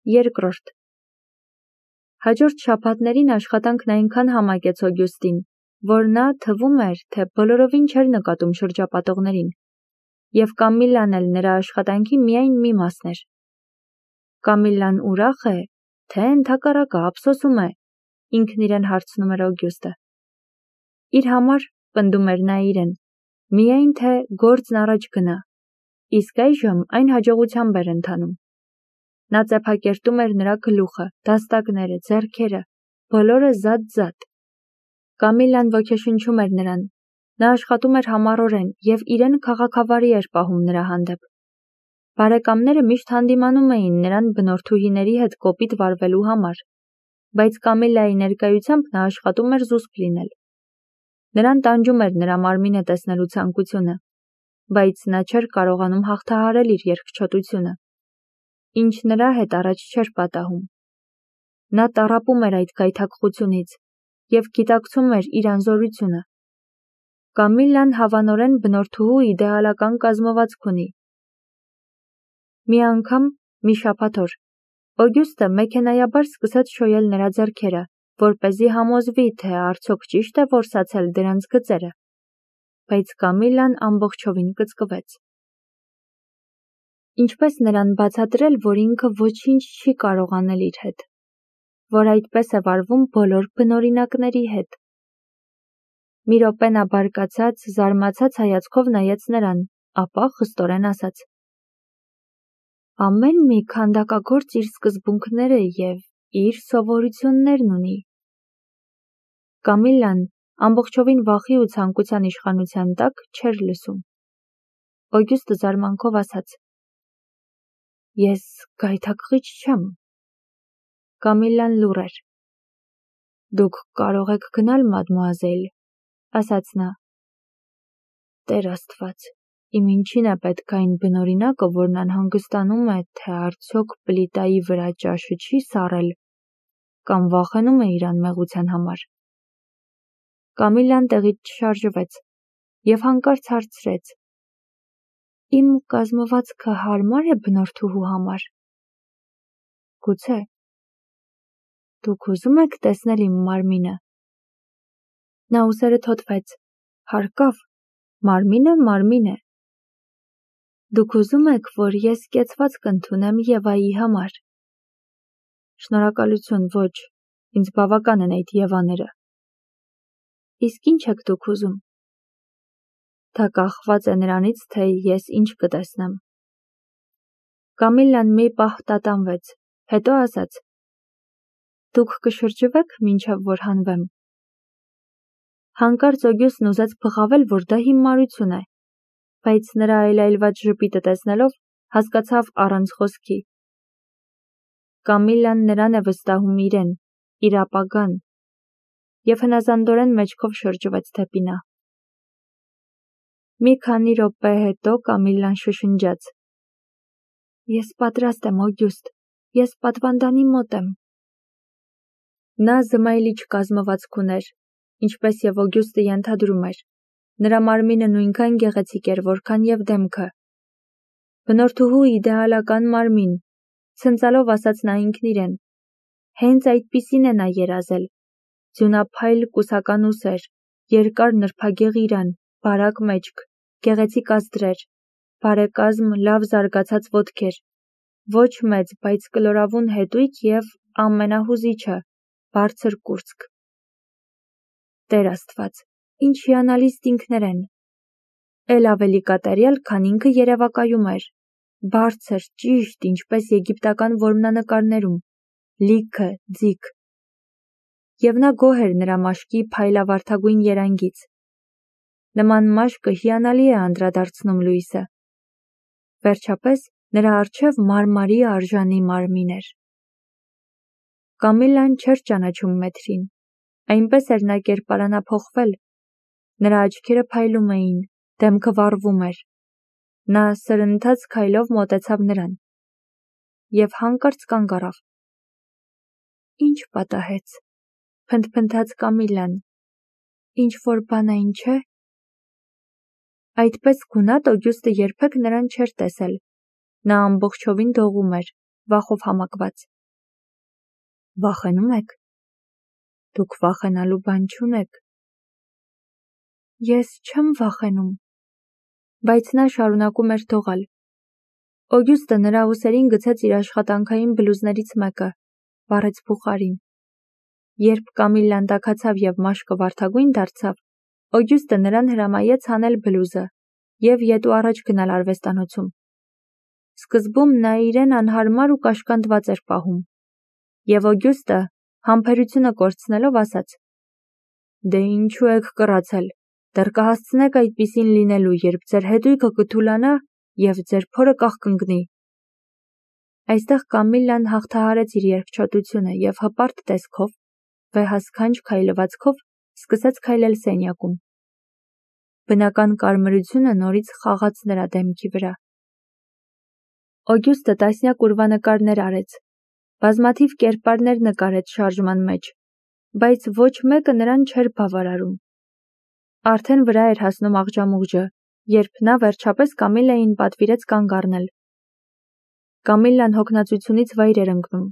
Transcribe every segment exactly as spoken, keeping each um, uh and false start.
Երկրորդ. Հաջորդ շաբաթներին աշխատանքն այնքան համակեց Օգյուստին, որ նա թվում էր, թե բոլորովին չէր նկատում շրջապատողներին, և Կամիլլան էլ նրա աշխատանքի միայն մի մասն էր։ Կամիլլան ուրախ է, թե ընդհակառակը ափսոսում է, ինքն իրեն հարցնում էր Օգյուստը։ Իր համար, պնդում էր նա իրեն, միայն թե գործն առաջ գնա, իսկ այժմ այն հաջողությամբ էր ընթանում։ Նա ծեփակերտում էր նրա գլուխը, դաստակները, ձեռքերը, բոլորը զատ-զատ։ Կամիլլան ոգեշնչում էր նրան, նա աշխատում էր համառորեն և իրեն քաղաքավարի էր պահում նրա հանդեպ։ Բարեկամները միշտ հանդիմանում էին նրան բնորդուհիների հետ կոպիտ վարվելու համար, բայց Կամիլլայի ներկայությամբ նա աշխատում էր զուսպ լինել։ Նրան տանջում էր նրա մարմինը տեսնելու ցանկությունը, բայց նա չէր կարողանում հաղթահարել իր երկչոտությունը, ինչ նրա հետ առաջ չէր պատահում։ Նա տառապում էր այդ գայթակղությունից և գիտակցում էր իր անզորությունը։ Կամիլլան հավանորեն բնորդուհու իդեալական կազմվածք ունի։ Մի անգամ, մի շաբաթ օր, Օգյուստը մեքենայաբար սկսեց շոյել նրա ձեռքերը, որպեսզի համոզվի, թե արդյոք ճիշտ է որսացել դրանց գծերը, բայց Կամիլլան ամբողջովին կծկվեց։ Ինչպես նրան բացատրել, որ ինքը ոչինչ չի կարող անել իր հետ, որ այդպես է վարվում բոլոր բնօրինակների հետ։ Մի րոպե նա բարկացած, զարմացած հայացքով նայեց նրան, ապա խստորեն ասաց. Ամեն մի քանդակագործ իր սկզբունքները և իր սովորություններն ունի։ Կամիլլան ամբողջովին վախի ու ցանկության իշխանության տակ չէր լսում։ Օգյուստը զարմանքով ասաց. Ես գայթակղիչ չեմ։ Կամիլլան լուռ էր։ Դուք կարող եք գնալ, մադմուազել, ասաց նա։ Տեր Աստված, իմ ինչին է պետք այն բնօրինակը, որն անհանգստանում է, թե արդյոք պլիտայի վրա ճաշը չի սառել, կամ վախենում է իր անմեղության համար։ Կամիլլան տեղից չշարժվեց և հանկարծ հարցրեց. Իմ կազմվածքը հարմար է բնորդուհու համար։ Գուցե։ Դուք ուզում եք տեսնել իմ մարմինը։ Նա ուսերը թոթվեց։ Հարկավ, մարմինը մարմին է։ Դուք ուզում եք, որ ես կեցվածք ընդունեմ Եվայի համար։ Շնորհակալություն, ոչ, ինձ բավական են այդ Եվաները։ Իսկ ինչ եք դուք ուզում։ Դա կախված է նրանից, թե ես ինչ կտեսնեմ։ Կամիլլան մի պահ տատանվեց, հետո ասաց. Դուք կշրջվեք, մինչև որ հանվեմ։ Հանկարծ Օգյուստն ուզեց բղավել, որ դա հիմարություն է, բայց նրա այլայլված ժպիտը տեսնելով հասկացավ առանց խոսքի։ Կամիլլան նրան է վստահում իրեն, իր ապագան, և հնազանդորեն մեջքով շրջվեց դեպի նա։ Մի քանի րոպե հետո Կամիլլան շշնջաց. Ես պատրաստ եմ, Օգյուստ, ես պատվանդանի մոտ եմ։ Նա զմայլիչ կազմվածք ուներ, ինչպես և Օգյուստը ենթադրում էր։ Նրա մարմինը նույնքան գեղեցիկ էր, որքան և դեմքը։ Բնորդուհու իդեալական մարմին, ցնծալով ասաց նա ինքն իրեն։ Հենց այդպիսին է նա երազել։ Ձյունափայլ կուսական ուսեր, երկար նրբագեղ իրան, բարակ մեջք, գեղեցիկ ազդրեր, բարեկազմ լավ զարգացած ոտքեր, ոչ մեծ, բայց կլորավուն հետույք և ամենահուզիչը, բարձր կուրծք։ Տեր Աստված, ինչ հիանալի ստինքներ են։ Էլ ավելի կատարյալ, քան ինքը երևակայում էր, բարձր, ճիշտ, ինչպես եգիպտական որմնանկարներում, լիքը, ձիգ։ Եվ նա գոհ էր նրա մաշկի փայլավարդագույն երանգից։ Նման մաշկը հիանալի է անդրադարձնում լույսը։ Վերջապես նրա առջև մարմարի արժանի մարմին էր։ Կամիլլան չէր ճանաչում մեթրին, այնպես էր նա կերպարանափոխվել։ Նրա աչքերը փայլում էին, դեմքը վառվում էր։ Նա սրընթաց քայլով մոտեցավ նրան և հանկարծ կանգ առավ։ Ինչ պատահեց, փնթփնթաց Կամիլլան, ինչ-որ բան այն չէ։ Այդպես գունատ Օգյուստը երբեք նրան չէր տեսել։ Նա ամբողջովին դողում էր, վախով համակված։ Վախենում եք։ Դուք վախենալու բան չունեք։ Ես չեմ վախենում։ Բայց նա շարունակում էր թողալ։ Օգյուստը նրա ուսերին գցեց իր աշխատանքային բլուզներից մեկը, վառեց փուխարին։ Երբ Կամիլլան տաքացավ և մաշկը վարդագույն դարձավ, Օգյուստը նրան հրամայեց հանել բլուզը և ետ ու առաջ գնալ արվեստանոցում։ Սկզբում նա իրեն անհարմար ու կաշկանդված էր պահում, և Օգյուստը, համբերությունը կորցնելով, ասաց. «Դե ինչու եք կռացել, դեռ կհասցնեք այդպիսին լինելու, երբ ձեր հետույքը կթուլանա և ձեր փորը կաղկնկնի»։ Այստեղ Կամիլլան հաղթահարեց իր երկչոտությունը և հպարտ տեսքով, վեհասքանչ քայլվածքով սկսեց քայլել սենյակում։ Բնական կարմրությունը նորից խաղաց նրա դեմքի վրա։ Օգյուստը տասնյակ ուրվանկարներ արեց, բազմաթիվ կերպարներ նկարեց շարժման մեջ, բայց ոչ մեկը նրան չէր բավարարում։ Արդեն վրա էր հասնում աղջամուղջը, երբ նա վերջապես Կամիլլային պատվիրեց կանգ առնել։ Կամիլլան հոգնածությունից վայր էր ընկնում,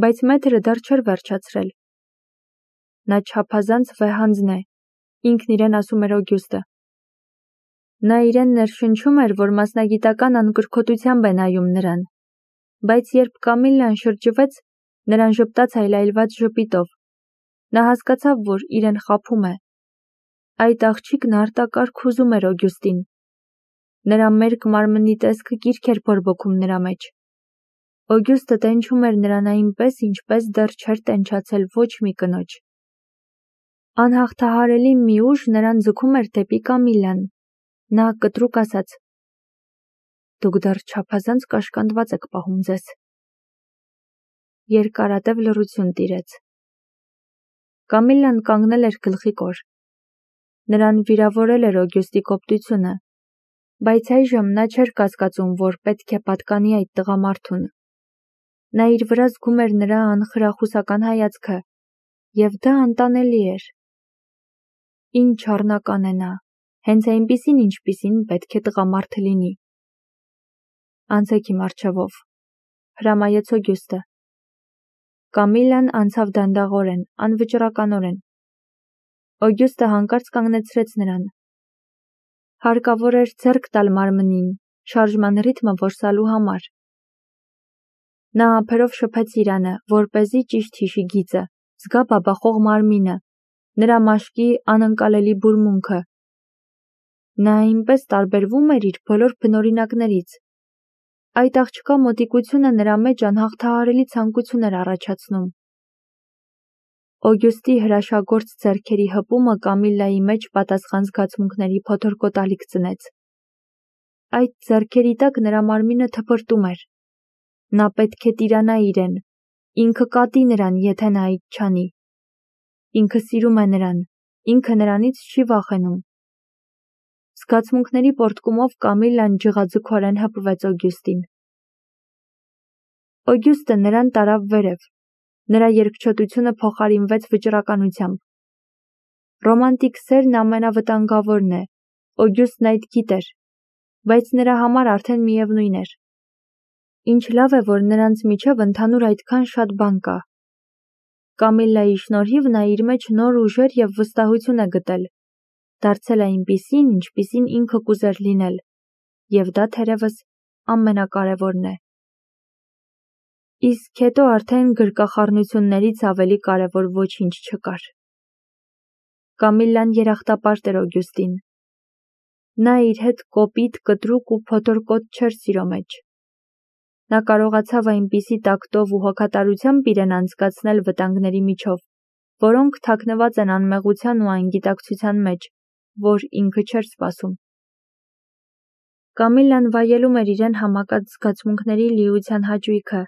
բայց մեթրը դեռ չէր վերջացրել։ Նա չափազանց վեհանձն է, ինքն իրեն ասում էր Օգյուստը։ Նա իրեն ներշնչում էր, որ մասնագիտական անկրքոտությամբ է նայում նրան, բայց երբ Կամիլլան շրջվեց, նրան ժպտաց այլայլված ժպիտով, նա հասկացավ, որ իրեն խաբում է։ Այդ աղջիկն արտակարգ ուզում էր Օգյուստին։ Նրա մերկ մարմնի տեսքը կիրք էր բորբոքում նրա մեջ։ Օգյուստը տենչում էր նրան այնպես, ինչպես դեռ չէր տենչացել ոչ մի կնոջ։ Անհաղթահարելի մի ուժ նրան ձգում էր դեպի Կամիլլան։ Նա կտրուկ ասաց. «Դուք դեռ չափազանց կաշկանդված եք պահում ձեզ»։ Երկարատև լռություն տիրեց։ Կամիլլան կանգնել էր գլխի կոր։ Նրան վիրավորել էր Օգյուստի կոպտությունը, բայց այժմ նա չէր կասկածում, որ պետք է պատկանի այդ տղամարդուն։ Նա իր վրա զգում էր նրա անխրախուսական հայացքը, և դա անտանելի էր։ Ինչ առնական է նա, հենց այնպիսին, ինչպիսին պետք է տղամարդը լինի։ Անցեք իմ առջևով, հրամայեց Օգյուստը։ Կամիլլան անցավ դանդաղորեն, անվճռականորեն։ Օգյուստը հանկարծ կանգնեցրեց նրան։ Հարկավոր էր ձեռք տալ մարմնին, շարժման ռիթմը որսալու համար։ Նա ափերով շփեց իրանը, որպեսզի ճիշտ հիշի գիծը, զգա բաբախող մարմինը, նրա մաշկի անընկալելի բուրմունքը։ Նա այնպես տարբերվում էր իր բոլոր բնօրինակներից։ Այդ աղջկա մոտիկությունը նրա մեջ անհաղթահարելի ցանկություն էր առաջացնում։ Օգյուստի հրաշագործ ձեռքերի հպումը Կամիլլայի մեջ պատասխան զգացմունքների փոթորկոտալիք ծնեց։ Այդ ձեռքերի տակ նրա մարմինը թպրտում էր։ Նա պետք է տիրանա իրեն, ինքը կատի նրան, եթե նա այդ չանի։ Ինքը սիրում է նրան, ինքը նրանից չի վախենում։ Զգացմունքների պոռթկումով Կամիլլան ջղաձգորեն հպվեց Օգյուստին։ Օգյուստը նրան տարավ վերև։ Նրա երկչոտությունը փոխարինվեց վճռականությամբ։ Ռոմանտիկ սերն ամենավտանգավորն է, Օգյուստն այդ գիտեր, բայց նրա համար արդեն միևնույն էր։ Ինչ լավ է, որ նրանց միջև ընդհանուր այդքան շատ բան կա։ Կամիլլայի շնորհիվ նա իր մեջ նոր ուժեր և վստահություն է գտել, դարձել այնպիսին, ինչպիսին ինքը կուզեր լինել, և դա թերևս ամենակարևորն է։ Իսկ հետո արդեն գրկախառնություններից ավելի կարևոր ոչինչ չկար։ Կամիլլան երախտապարտ էր Օգյուստին։ Նա իր հետ կոպիտ, կտրուկ ու փոթորկոտ չէր սիրո մեջ։ Նա կարողացավ այնպիսի տակտով ու հոգատարությամբ իրեն անցկացնել վտանգների միջով, որոնք թաքնված են անմեղության ու անգիտակցության մեջ, որ ինքը չէր սպասում։ Կամիլլան վայելում էր իրեն համակած զգացմունքների լիության հաճույքը,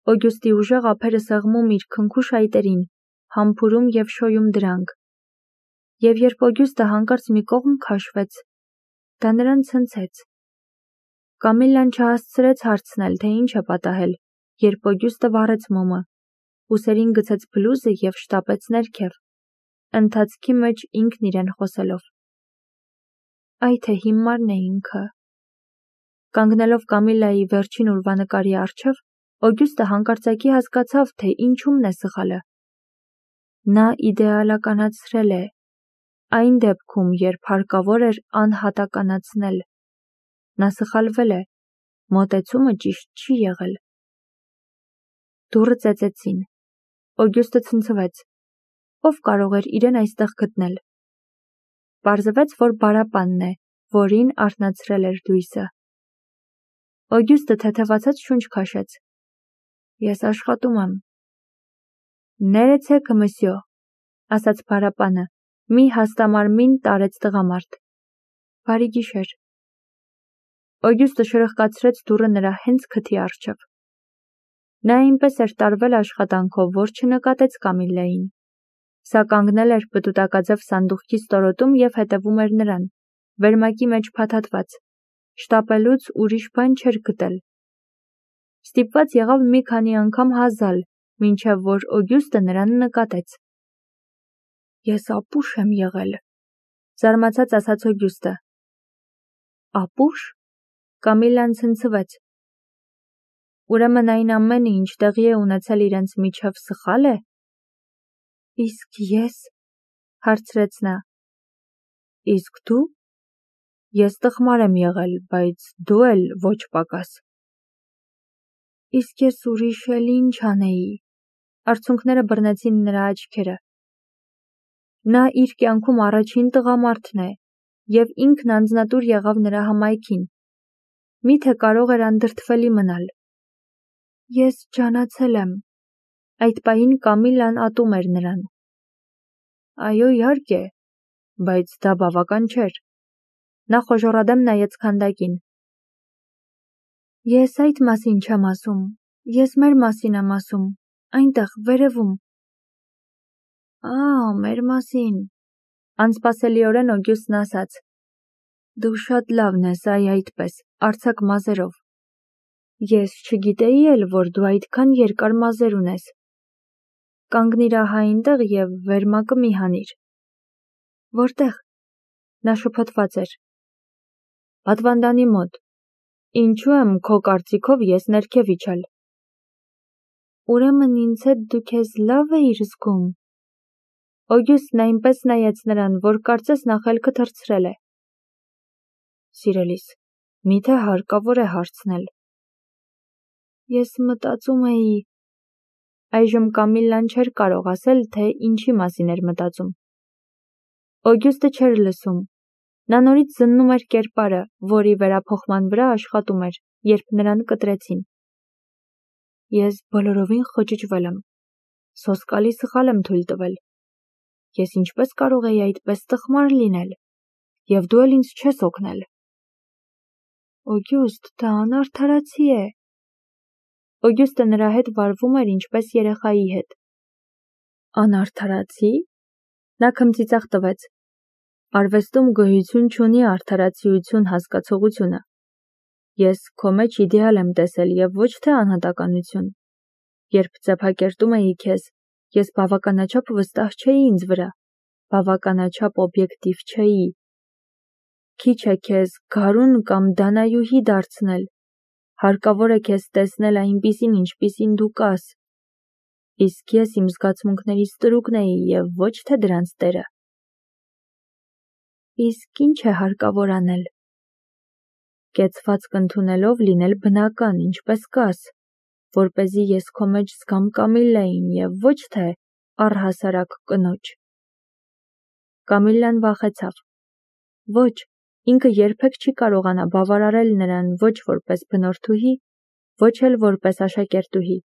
Օգյուստի ուժեղ ափերը սեղմում իր քնքուշ այտերին, համբուրում և շոյում դրանք։ Եվ երբ Օգյուստը հանկարծ մի կողմ քաշվեց, դա նրան ցնցեց։ Կամիլլան չհասցրեց հարցնել, թե ինչ է պատահել, երբ Օգյուստը վառեց մոմը, ուսերին գցեց բլուզը և շտապեց ներքև, ընթացքի մեջ ինքն իրեն խոսելով. «Այ թե հիմարն է ինքը»։ Կանգնելով Կամիլլայի վերջին ուրվանկարի առջև, Օգյուստը հանկարծակի հասկացավ, թե ինչումն է սխալը։ Նա իդեալականացրել է, այն դեպքում, երբ հարկավոր էր անհատականացնել։ Նա սխալվել է, մոտեցումը ճիշտ չի եղել։ Դուռը ծեծեցին։ Օգյուստը ցնցվեց։ Ով կարող էր իրեն այստեղ գտնել։ Պարզվեց, որ Բարապանն է, որին արթնացրել էր լույսը։ Օգյուստը թեթևացած շունչ քաշեց։ Ես աշխատում եմ։ Ներեցեք, մսյո, ասաց Բարապանը, մի հաստամարմին տարեց տղամարդ։ Բարի գիշեր։ Օգյուստը շրխկացրեց դուռը նրա հենց քթի առջև։ Նա այնպես էր տարվել աշխատանքով, որ չնկատեց Կամիլլային։ Սա կանգնել էր պտուտակաձև սանդուղքի ստորոտում և հետևում էր նրան, վերմակի մեջ փաթաթված, շտապելուց ուրիշ բան չէր գտել։ Ստիպված եղավ մի քանի անգամ հազալ, մինչև որ Օգյուստը նրան նկատեց։ Ես ապուշ եմ եղել, զարմացած ասաց Օգյուստը։ Ապուշ։ Կամիլլան ցնցվեց։ Ուրեմն այն ամենը, ինչ տեղի է ունեցել իրենց միջև, սխալ է։ Իսկ ես, հարցրեց նա։ Իսկ դու։ Ես տխմար եմ եղել, բայց դու էլ ոչ պակաս։ Իսկ ես ուրիշ էլ ինչ անեի։ Արցունքները բռնեցին նրա աչքերը։ Նա իր կյանքում առաջին տղամարդն է, և ինքն անձնատուր եղավ նրա հմայքին։ Միթե կարող էր անդրդվելի մնալ։ Ես ջանացել եմ։ Այդ պահին Կամիլլան ատում էր նրան։ Այո, իհարկե, բայց դա բավական չէր։ Նա խոժոռադեմ նայեց քանդակին։ Ես այդ մասին չեմ ասում, ես մեր մասին եմ ասում, այնտեղ, վերևում։ Ա, մեր մասին, անսպասելիորեն Օգյուստն ասաց։ Դու շատ լավն ես, այ այդպես, արձակ մազերով։ Ես չգիտեի էլ, որ դու այդքան երկար մազեր ունես։ Կանգնիր ահա այնտեղ և վերմակը մի հանիր։ Որտեղ։ Նա շփոթված էր։ Պատվանդանի մոտ։ Ինչու եմ քո կարծիքով ես ներքև իջալ։ Ուրեմն ինձ հետ դու քեզ լավ էիր զգում։ Օգյուստն այնպես նայեց նրան, որ կարծես նա խելքը թռցրել է։ Սիրելիս, միթե հարկավոր է հարցնել։ Ես մտածում էի։ Այժմ Կամիլլան չէր կարող ասել, թե ինչի մասին էր մտածում։ Օգյուստը չէր լսում։ Նա նորից զննում էր կերպարը, որի վերափոխման վրա աշխատում էր, երբ նրան կտրեցին։ Ես բոլորովին խճճվել եմ։ Սոսկալի սխալ եմ թույլ տվել։ Ես ինչպես կարող էի այդպես տխմար լինել, և դու էլ ինձ չես օգնել։ Օգյուստ, դա անարդարացի է։ Օգյուստը նրա հետ վարվում էր ինչպես երեխայի հետ։ Անարդարացի։ Նա քմծիծաղ տվեց։ Արվեստում գոյություն չունի արդարացիություն հասկացողությունը։ Ես քո մեջ իդեալ եմ տեսել և ոչ թե անհատականություն։ Երբ ձեփակերտում էի քեզ, ես բավականաչափ վստահ չէի ինձ վրա, բավականաչափ օբյեկտիվ չէի։ Քիչ է քեզ գարուն կամ դանայուհի դարձնել, հարկավոր է քեզ տեսնել այնպիսին, ինչպիսին դու կաս։ Իսկ ես իմ զգացմունքներից տրուկն էի և ոչ թե դրանց տերը։ Իսկ ինչ է հարկավոր անել։ Կեցվածք ընդունելով լինել բնական, ինչպես կաս, որպեսզի ես քո մեջ զգամ Կամիլլային և ոչ թե առհասարակ կնոջ։ Կամիլլան վախեցավ։ Ոչ, ինքը երբեք չի կարողանա բավարարել նրան ոչ որպես բնորդուհի, ոչ էլ որպես աշակերտուհի։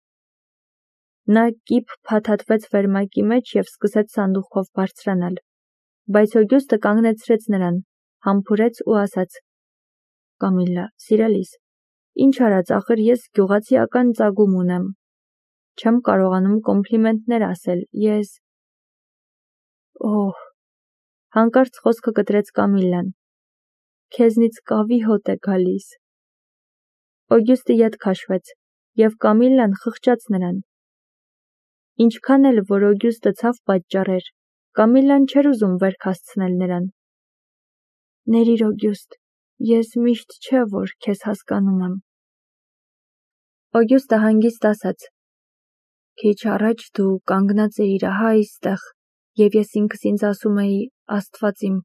Նա կիպ փաթաթվեց վերմակի մեջ և սկսեց սանդուղքով բարձրանալ, բայց Օգյուստը կանգնեցրեց նրան, համբուրեց ու ասաց. Կամիլլա, սիրելիս, ինչ արած, ախր ես գյուղացիական ծագում ունեմ։ Չեմ կարողանում կոմպլիմենտներ ասել, ես… Օհ… Հանկարծ խոսքը կտրեց Կամիլլան։ Քեզնից կավի հոտ է գալիս։ Օգյուստը ետ քաշվեց, և Կամիլլան խղճաց նրան։ Ինչքան էլ որ Օգյուստը ցավ պատճառեր, Կամիլլան չէր ուզում վերք հասցնել նրան։ Ներիր, Օգյուստ, ես միշտ չէ, որ քեզ հասկանում եմ։ Օգյուստը հանգիստ ասաց. Քիչ առաջ դու կանգնած էիր ահա այստեղ, և ես ինքս ինձ ասում էի, Աստված իմ,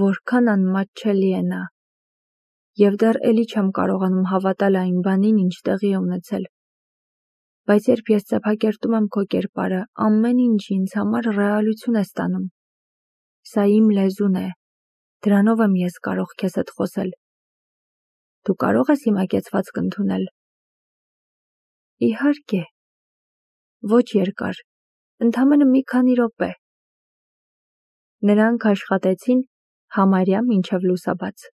որքան անմատչելի է նա, և դեռ էլի չեմ կարողանում հավատալ այն բանին, ինչ տեղի է ունեցել։ Բայց երբ ես ծեփակերտում եմ քո կերպարը, ամեն ինչ ինձ համար ռեալություն է ստանում։ Սա իմ լեզուն է, դրանով եմ ես կարող քեզ հետ խոսել։ Դու կարող ես իմ կեցվածք ընդունել։ Իհարկե, ոչ երկար, ընդամենը մի քանի րոպե։ Նրանք աշխատեցին համարյա մինչև լուսաբաց։